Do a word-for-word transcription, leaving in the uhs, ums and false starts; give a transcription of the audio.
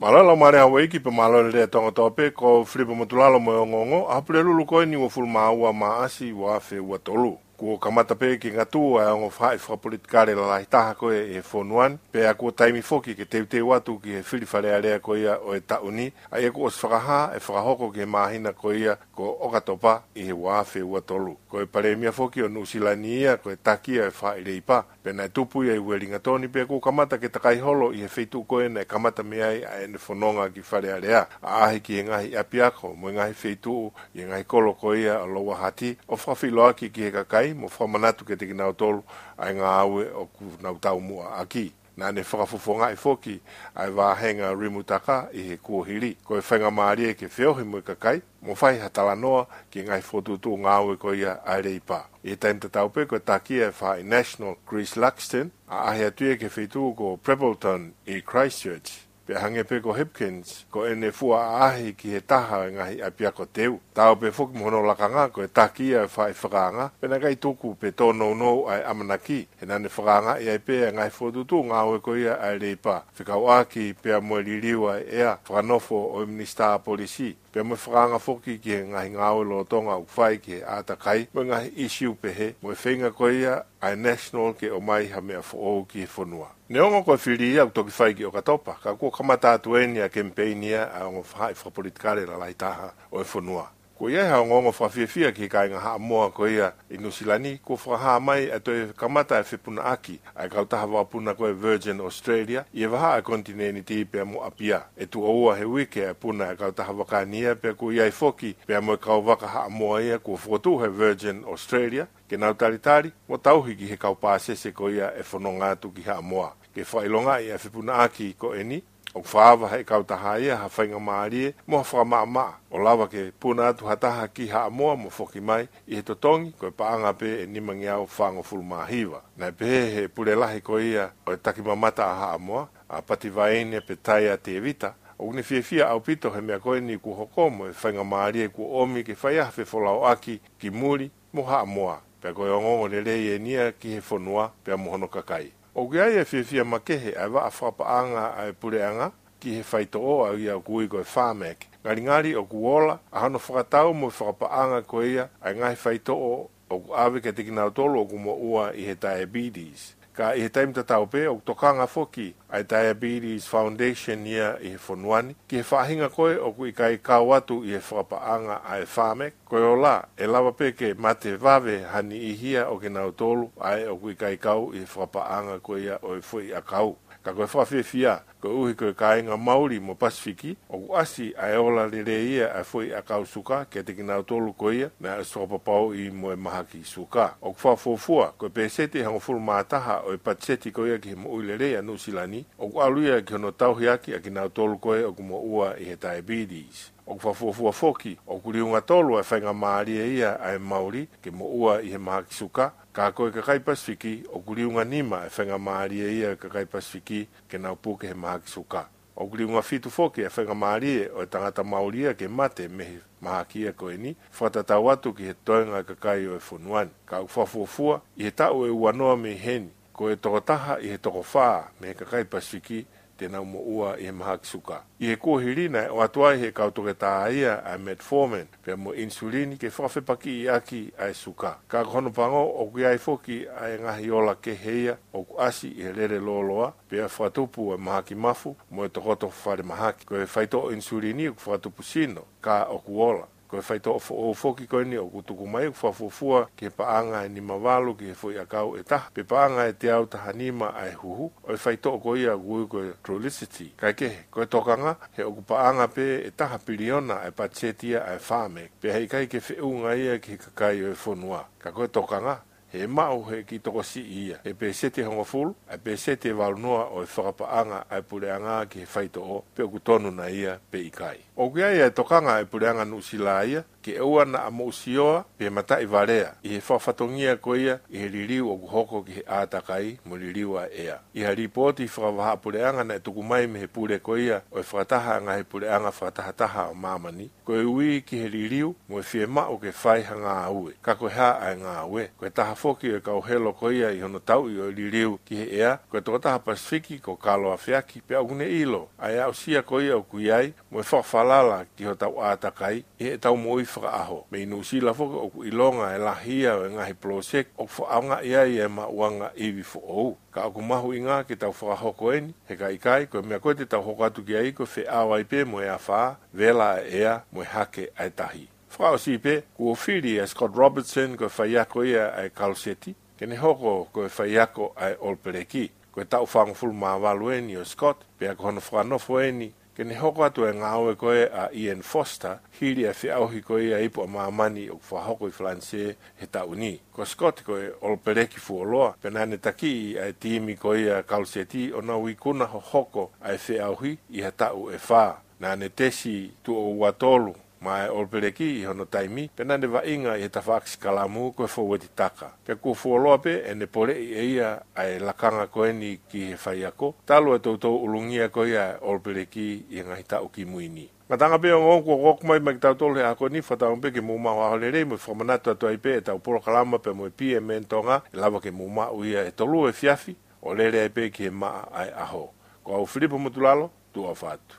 Mālō e laumālie Hauaiki pea mālō e lea Tonga kotoa pē, ko Filipa Motulalo mo e ongoongo ʻa e Pulelulu ko eni uofulu mā ua Maʻasi ua afe ua tolu. Kuo kamata pē ke ngatū ʻa e ongo faʻahi fakapolitikale lalahi taha ko ē ʻi he fonua ni, pea kuo taimi foki ke teuteu atu ki he fili Fale Alea ko ia ʻo e taʻu ni, ʻa ia kuo ʻosi fakahā ʻe fakahoko ki he māhina ko ia ko ʻOkatopa ʻi he ua afe ua tolu. Ko e Palēmia foki ʻo Nuʻusila ni ia, ko e taki ia ʻo e faʻahi Leipa, pea naʻe tupu ia ʻi Uelingatoni, pea kuo kamata ke takai holo ʻi he feituʻu ko ē naʻe kamata mei ai ʻa ʻene fononga ki Fale Alea, ʻaʻahi ki he ngaahi ʻapiako mo e ngaahi feituʻu ʻi he ngaahi kolo ko ia ʻo Lower Hutt, ʻo fakafeʻiloaki ki he kakai mo fakamanatu kiate kinautolu ʻa e ngāue ʻoku nau taumuʻa ʻaki. Naʻa ne fakafofongaʻi foki ʻa e vāhenga Rimutaka ʻi he kuohili, ko e faingamālie ke feohi mo e kakai mo fai ha talanoa ki he ngaahi fokotuʻutuʻu ngāue ko ia ʻa e Leipa. ʻI he taimi tatau pē, ko e taki ia ʻo e faʻahi National, Chris Luxon, ʻaʻahi atu ia ki he feituʻu ko Preppletown ʻi Christchurch. Pea hangē pē ko Hipkins, ko ʻene fua ʻaʻahi ki he taha ʻo e ngaahi ʻapiako teu. Taau pē foki mo hono lakanga, ko e taki ia ʻo e faʻahi fakaanga, pea naʻe ʻikai tuku pe tōnounou ʻa e ʻamanaki, he naʻa ne fakaangaʻi ai pē ʻa e ngaahi fokotuʻutuʻu ngāue ko ia ʻa e Leipa, fekauʻaki pea mo e liliu ʻa e ʻea fakanofo ʻo e Minisitā Polisi, pea mo e fakaanga foki ki he ngaahi ngāue lolotonga ʻoku fai ki he ʻātakai mo e ngaahi ʻīsiu pehē, mo e feinga ko ia ʻa e National ke ʻomai ha meʻa foʻou ki he fonua. Neongo ko e fili ia ʻoku toki fai ki ʻOkatopa, ka kuo kamata atu eni ʻa e kemipeini ia ʻa e ongo faʻahi fakapolitikale lalahi taha ʻo e fonua. Kuo ʻi ai ha ongoongo fakafiefia ki he kāinga Haʻamoa ko ia ʻi Nuʻusila ni, kuo fakahā mai ʻa e toe kamata ʻa e fepunaʻaki ʻa e kautaha vakapuna ko e Virgin Australia ʻi he vahaʻa ʻo e konitinēniti pea mo ʻApia. ʻE tuʻo ua he uike ʻa e puna ʻa e kautaha vaka ni ia, pea kuo ʻi ai foki pea mo e kau vaka Haʻamoa ia kuo fokotuʻu he Virgin Australia ke nau talitali mo tauhi ki he kau pāsese ko ia ʻe fononga atu ki Haʻamoa. Ke fakaʻilongaʻi ʻa e fepunaʻaki ko eni, ʻoku fakaava ʻe he kautaha ia ha faingamālie mo ha fakamaʻamaʻa ʻo lava ke puna atu ha taha ki Haʻamoa mo foki mai ʻi he totongi ko e paʻanga pē ʻe nimangeau fāngofulu mā hiva. Naʻe pehē ʻe he pule lahi ko ia ʻo e takimamata ʻa Haʻamoa, ʻa Pativaine Petaia Tevita, ʻoku ne fiefia ʻaupito he meʻa ko eni kuo hoko mo e faingamālie kuo ʻomi ke fai ai ha fefolauʻaki ki muli mo Haʻamoa, pea ko e ongoongo lelei eni ia ki he fonua pea mo hono kakai. ʻOku ʻi ai e fiefia makehe ʻa e vaʻa fakapaʻanga ʻa e puleʻanga ki he faitoʻo ʻa ia ʻoku ui ko e Pharmac. Ngalingali ʻoku ola ʻa hono fakatau mo e fakapaʻanga ko ia ʻa e ngaahi faitoʻo ʻoku ʻave kiate kinautolu ʻoku moʻua ʻi he diabetes. Ka ʻi he taimi tatau pē, ʻoku tokanga foki ʻa e Diabetes Foundation ia ʻi he fonua ni ki he faʻahinga ko ē ʻoku ʻikai kau atu ʻi he fakapaʻanga ʻa e Pharmac, ko e ola, ʻe lava pē ke mate vave ha niʻihi ia ʻo kinautolu ʻa ē ʻoku ʻikai kau ʻi he fakapaʻanga ko ia ʻo e foʻi ʻakau. Ka ko e fakafiefia, koeʻuhi ko e kāinga Mauli mo Pasifiki, ʻoku ʻasi ʻa e ola lelei ia ʻa e foʻi ʻakau suka kiate kinautolu ko ia naʻe ʻosi fakapapauʻi mo e mahaki suka. ʻOku fakafuofua ko e peseti ʻe hongofulu mā taha ʻo e patiseti ko ia ki he moʻui lelei ʻa Nuʻusila ni, ʻoku ʻalu ia ki hono tauhi ʻaki ʻa kinautolu ko ē ʻoku moʻua ʻi he diabetes. ʻOku fakafuofua foki, ʻoku liunga tolu ʻa e faingamālie ia ʻa e Mauli ke moʻua ʻi he mahaki suka, ka ko e kakai Pasifiki, ʻoku liunga nima ʻa e faingamālie ia ʻa e kakai Pasifiki ke nau puke he mahaki suka. ʻOku liunga fitu foki ʻa e faingamālie ʻo e tangata Mauli ia ke mate mei he mahaki ia ko eni, fakatatau atu ki he toenga ʻo e kakai ʻo e fonua ni. Ka ʻoku fakafuofua, ʻi he taʻu ʻe ua noa mei heni, ko e tokotaha ʻi he toko fā mei he kakai Pasifiki te nau moʻua ʻi he mahaki suka. ʻI he kuohili naʻe ʻoatu ai ʻe he kau toketā ia ʻa e metformin pea mo e ʻinisulini ke fakafepakiʻi ʻaki ʻa e suka. Ka ko hono pango, ʻoku ʻi ai foki ʻa e ngaahi ola kehe ia ʻoku ʻasi ʻi he lele lōloa, pea fakatupu ʻa e mahaki mafu mo e tokoto falemahaki. Ko e faitoʻo ʻinisulini ʻoku fakatupu sino, ka ʻoku ola. Ko e faitoʻo foʻou foki ko eni ʻoku tuku mai ʻoku fakafuofua ki he paʻanga ʻe nima valu ki he foʻi ʻakau ʻe taha, pe paʻanga ʻe teau taha nima ʻa e huhu ʻo e faitoʻo ko ia ʻoku ui ko e Trulicity. Kaekehe, ko e tokanga, he ʻoku paʻanga pē ʻe taha piliona ʻa e patiseti ia ʻa e Pharmac, pea heʻikai ke feʻunga ia ki he kakai ʻo e fonua. Ka ko e tokanga, he ʻe maʻu ʻe he kiʻi tokosiʻi ia, he peseti ʻe hongofulu ʻa e peseti ʻe valu noa ʻo e fakapaʻanga ʻa e puleʻanga ki he faitoʻo, pe ʻoku tonu nai ia pe ʻikai. ʻOku ʻi ai ʻa e tokanga ʻa e puleʻanga Nuʻusila ia ke ʻoua naʻa moʻusioa pe mataʻivalea ʻi he fakafatongia ko ia ʻi he liliu ʻoku hoko ki he ʻātakai mo e liliu ʻa e ʻea. ʻI ha lipooti fakavahaʻapuleʻanga naʻe tuku mai mei he pule ko ia ʻo e Fakataha ʻa e Ngaahi Puleʻanga Fakatahataha ʻo Māmani, ko e ui ki he liliu mo e fiemaʻu ke fai ha ngāue. Ka ko e hā ʻa e ngāue? Ko e taha foki ʻo e kau helo ko ia ʻi hono tauʻi ʻo e liliu ki he ʻea, ko e tokotaha Pasifiki ko Kalo Afeaki, pea ʻoku ne ʻilo ʻa e aʻusia ko ia ʻoku ʻi ai mo e fakafalala ki hotau ʻātakai ʻi heʻetau moʻui fakaʻaho. Mei Nuʻusila foki ʻoku ʻilonga e lahi ia ʻo e ngaahi poloseki ʻoku fakaʻaongaʻi ai e maʻuʻanga ivi foʻou. Ka ʻoku mahuʻinga ke tau fakahoko eni, he ka ʻikai, ko e meʻa ko ē te tau hoko atu ki ai ko e feʻao ai pē mo e afā, vela ʻa e ʻea, mo e hake ʻa e tahi. Fakaʻosi pē, kuo fili ʻa Scott Robertson, ko e faiako ia ʻa e Kaluseti, ke ne hoko ko e faiako ʻa e ʻOlopeleki. Ko e taʻu fāngofulu mā valu eni ʻo Scott, pea ko hono fakanofo eni ke ne hoko atu e ngāue ko ē ʻa Ian Foster, hili ʻa e feʻauhi ko ia ʻa e Ipu ʻa Māmani ʻoku fakahoko ʻi Falanisē he taʻu ni. Ko Scott ko e ʻOlopeleki fuoloa, pea naʻa ne takiʻi ʻa e timi ko ia Kaluseti ʻo nau ikuna hohoko ʻa e feʻauhi ʻi ha taʻu ʻe fā. Naʻa ne tesi tuʻo ua tolu maʻa e ʻOlopeleki ʻi hono taimi, pea naʻa ne vaʻinga ʻi he tafaʻaki sikalamu ko e fōueti taka. Pea kuo fuoloa pē ʻene poleʻi ʻe ia ʻa e lakanga ko eni ki he faiako, talu e toutou ʻulungia ko ia ʻa e ʻOlopeleki ʻi he ngaahi taʻu kimui ni. Ngataʻanga pē ongoongo kuo hoko mai maʻa kitautolu he ʻaho ni, fakatauange pē ke mou maʻu ha ʻaho lelei mo e fakamanatu atu ai pē ʻetau polokalama pea mo e P M N Tonga, ʻe lava ke mou maʻu ia he tolu efiafi, ʻo lele ai pē ki he maʻa ʻa e ʻaho. Ko au Filipo Motulalo, tuʻa ʻofa atu.